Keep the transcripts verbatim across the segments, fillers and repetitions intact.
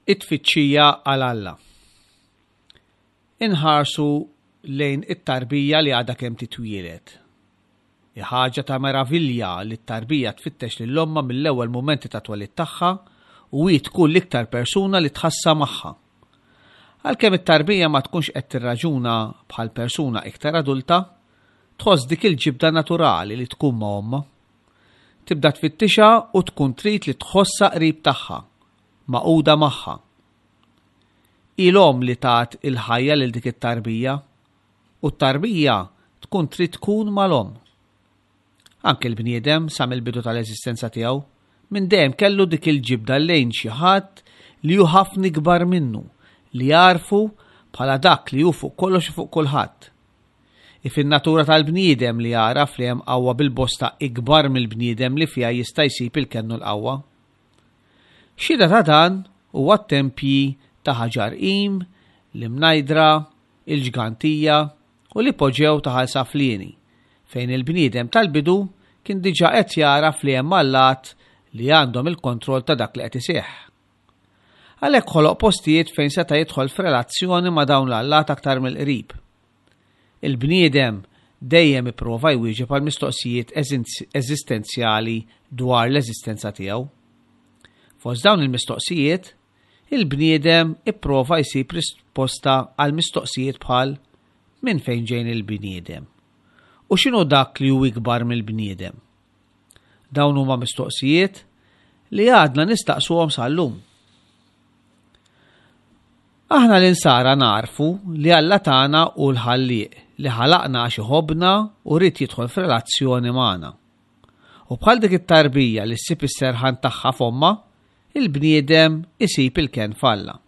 It-tfittxija għal Alla. Inħarsu lejn it-tarbija li għadha kemm titwieled. Hi ħaġa ta' meravilja li t-tarbija tfittex lil ommha mill-ewwel mumenti ta' twelid tagħha u hi tkun l-iktar persuna li tħassha magħha. Għalkemm it-tarbija ma tkunx qed tirraġuna bħal persuna iktar adulta, tħoss dik il-ġibda naturali li tkun ma' ommha. Tibda tfittixha u tkun trid li tħossha qrib tagħha, magħquda magħha. Hi l-omm li tat il-ħajja lil dik it-tarbija u t-tarbija tkun trid tkun mal-omm. Anke l-bniedem sa mill-bidu tal-eżistenza tiegħu minn dejjem kellu dik il-ġibda lejn xi ħadd li hu ħafna ikbar minnu, li jagħrfu bħala dak li hu fuq kollox u fuq kulħadd. Hi fin-natura tal-bniedem li jagħraf li hemm qawwa bil-bosta ikbar mill-bniedem li fiha jista' jsib il-kenn u l-qawwa. Xhieda ta' dan huwa t-tempji ta' Ħaġar Qim, l-Imnajdra, il-Ġgantija u l-Ipoġew ta' Ħal Saflieni, fejn il-bniedem tal-bidu kien diġà qed jagħraf li hemm allat li għandhom il-kontroll ta' dak li qed iseħħ. Għalhekk ħoloq postijiet fejn seta' jidħol f'relazzjoni ma' dawn l-allat aktar mill-qrib. Il-bniedem dejjem ipprova jwieġeb għal mistoqsijiet eżistenzjali dwar l-eżistenza tiegħu. Fost dawn il-mistoqsijiet, il-bniedem ipprova jsib risposta għal mistoqsijiet bħal minn fejn ġejn il-bniedem u x'inhu dak li hu ikbar mill-bniedem. Dawn huma mistoqsijiet li għadna nistaqsuhom sal-lum. Aħna l-insara narfu li Alla tagħna hu l-Ħallieq li ħalaqna għax iħobbna u ried jidħol f'relazzjoni magħna. U bħal dik it-tarbija li ssib is-serħan tagħha f'ommha, il-bniedem isib il-kenn f'Alla.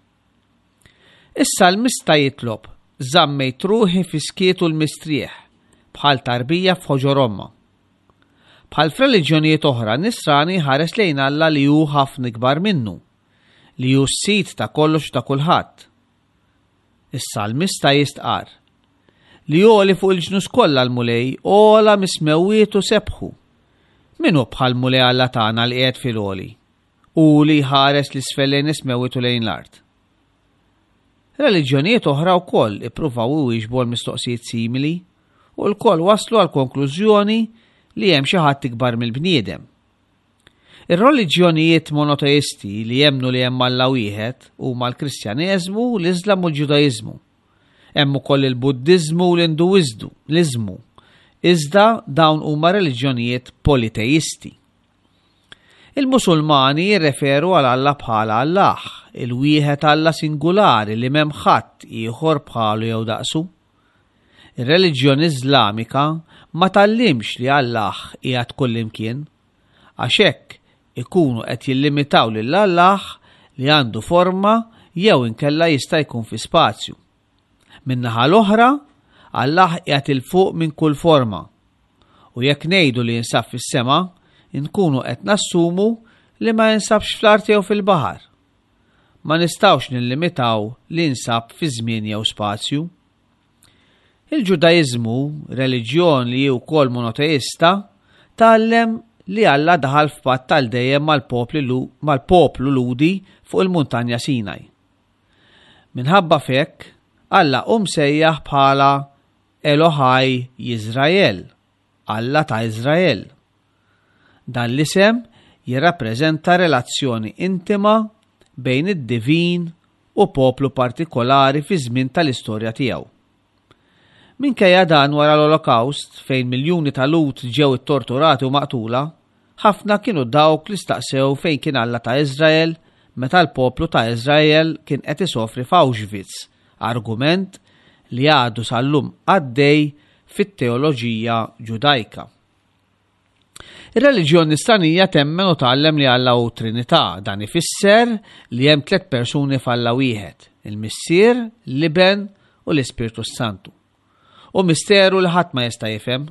Is-salmista jitlob, żammejt ruħi fis-skiet u l-mistrieħ, bħal tarbija f'ħoġor ommha. Bħal f'reliġjonijiet oħra, nisrani ħares lejn Alla li hu ħafna ikbar minnu, li hu s-sid ta' kollox u ta' kulħadd. Is-salmista jistqarr li għoli fuq il-ġnus kollha l-Mulej, ogħla mis-smewwiet u sebħu. Min hu bħal Mulej Alla tagħna li qiegħed fil-għoli u li jħares 'l isfel lejn is-smewwiet u lejn l-art. Reliġjonijiet oħra wkoll ippruvaw iwieġbu għal mistoqsijiet simili u lkoll waslu għal konklużjoni li hemm xi ħadd ikbar mill-bniedem. Ir-reliġjonijiet monoteisti li jemmnu li hemm Alla wieħed huma l-Kristjaneżmu, l-Iżlam u l-Ġudaiżmu. Hemm ukoll il-Buddiżmu u l-Induiżmu, l-Iżmu. Iżda dawn huma reliġjonijiet politeisti. Il-Musulmani jirreferu għal Alla bħala Allah, il-wieħed Alla singulari li m'hemm ħadd ieħor bħalu jew daqsu. Ir-reliġjoni Iżlamika ma tgħallimx li Allah qiegħed kullimkien, għax hekk ikunu qed jillimitaw lil Allah li għandu forma jew inkella jista' jkun fi spazju. Min-naħa l-oħra, Allah qiegħed 'il fuq minn kull forma. U jekk ngħidu li jinsab fis-sema, inkunu qed nassumu li ma jinsabx fl-art jew fil-baħar. Ma nistgħux nillimitaw li jinsab fi żmien jew spazju. Il-Ġudaiżmu, reliġjon li hi wkoll monoteista, tgħallem li Alla daħal f'patt tal dejjem mal-poplu Lhudi fuq il-muntanja Sinaj. Minħabba f'hekk, Alla hu msejjaħ bħala Elohaj Jizrael, Alla ta' Iżrael. Dan l-isem jirrappreżenta relazzjoni intima bejn id-divin u poplu partikolari fi żmien tal-istorja tiegħu. Minkejja dan wara l-Olokawst, fejn miljuni ta' Lhud ġew ittorturati u maqtula, ħafna kienu dawk li staqsew fejn kien Alla ta' Iżrael meta l-poplu ta' Iżrael kien qed isofri f'Auschwitz, argument li għadu sal-lum għaddej fit-teoloġija Ġudajka. Ir-reliġjon nisranija temmen u tgħallem li Alla hu Trinità, dan ifisser li hemm tliet persuni f'Alla wieħed, il-Missier, l-Iben u l-Ispirtu Santu. U misteru li ħadd ma jista' jifhem.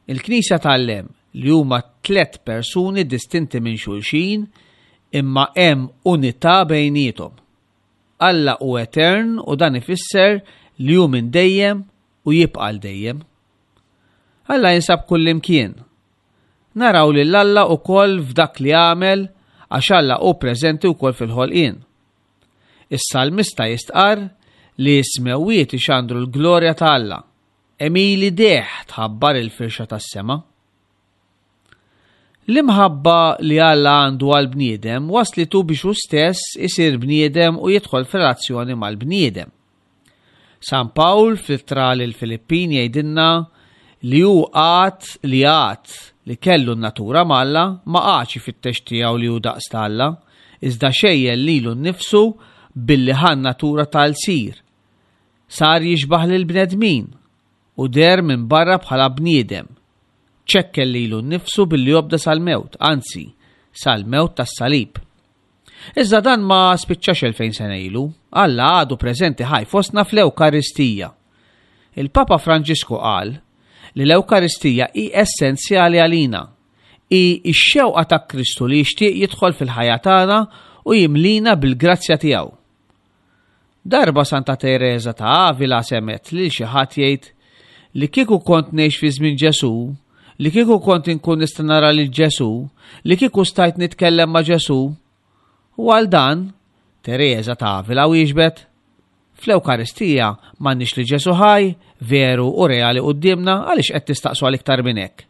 Il-Knisja tgħallem li huma tliet persuni distinti minn xulxin imma hemm unità bejniethom. Alla hu etern u dan ifisser li hu minn dejjem u jibqa' għal dejjem. Alla jinsab kullimkien. Naraw lil Alla wkoll f'dak li għamel għax Alla hu preżenti wkoll fil-ħolqien. Is-salmista jistqarr li s-smewwiet ixandru l-glorja ta' Alla. Għemil idejh tħabbar il-firxa tas-sema. L-imħabba li Alla għandu għall-bniedem waslitu biex hu stess isir bniedem u jidħol f'relazzjoni mal-bniedem. San Pawl fl-ittra lill-Filippin jgħidilna li hu għad li għad li kellu n-natura m'Alla ma qagħadx ifittex tiegħu li hu daqs ta' Alla, iżda xejjen lilu nnifsu billi ħa n-natura ta' lsir. Sar jixbah lill-bnedmin u deher minn barra bħala bniedem. Ċekken lilu nnifsu billi obda sal-mewt, anzi, sal-mewt tas-salib. Iżda dan ma spiċċax elfejn sena ilu, Alla għadu preżenti ħaj fostna fl-Ewkaristija. Il-Papa Franġisku qal li l-Ewkaristija hi essenzjali għalina. Hi x-xewqa ta' Kristu li jixtieq jidħol fil-ħajja tagħna u jimlina bil-grazzja tiegħu. Darba Santa Tereża ta' Avila semgħet lil xi ħadd jgħid li kieku kont ngħix fi żmien Ġesù, li kieku kont inkun nista' nara lil Ġesù, li kieku stajt nitkellem ma' Ġesù. U għal dan, Tereża ta' Avila wieġbet, fl-Ewkaristija m'għandniex li Ġesù ħaj, veru u reali quddiemna, għaliex qed tistaqsu għal iktar minn hekk.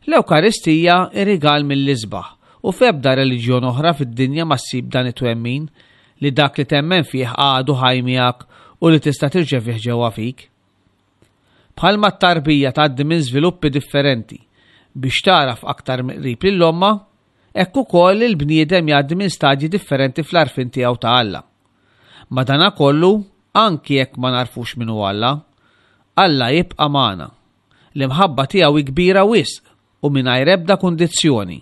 L-Ewkaristija hi rigal mill-isbaħ u f'ebda reliġjon oħra fid-dinja ma ssib dan it-twemmin li dak li temmen fih għadu ħaj miegħek u li tista' tirċevih ġewwa fik. Bħalma t-tarbija tgħaddi minn żviluppi differenti biex tagħraf aktar mill-qrib lil ommha, hekk ukoll il-bniedem jgħaddi minn stadji differenti fl-għarfien tiegħu ta' Alla. Madanakollu, anki jekk ma narfux min hu Alla, Alla jibqa' magħna. L-imħabba tiegħu hi kbira wisq u mingħajr ebda kundizzjoni.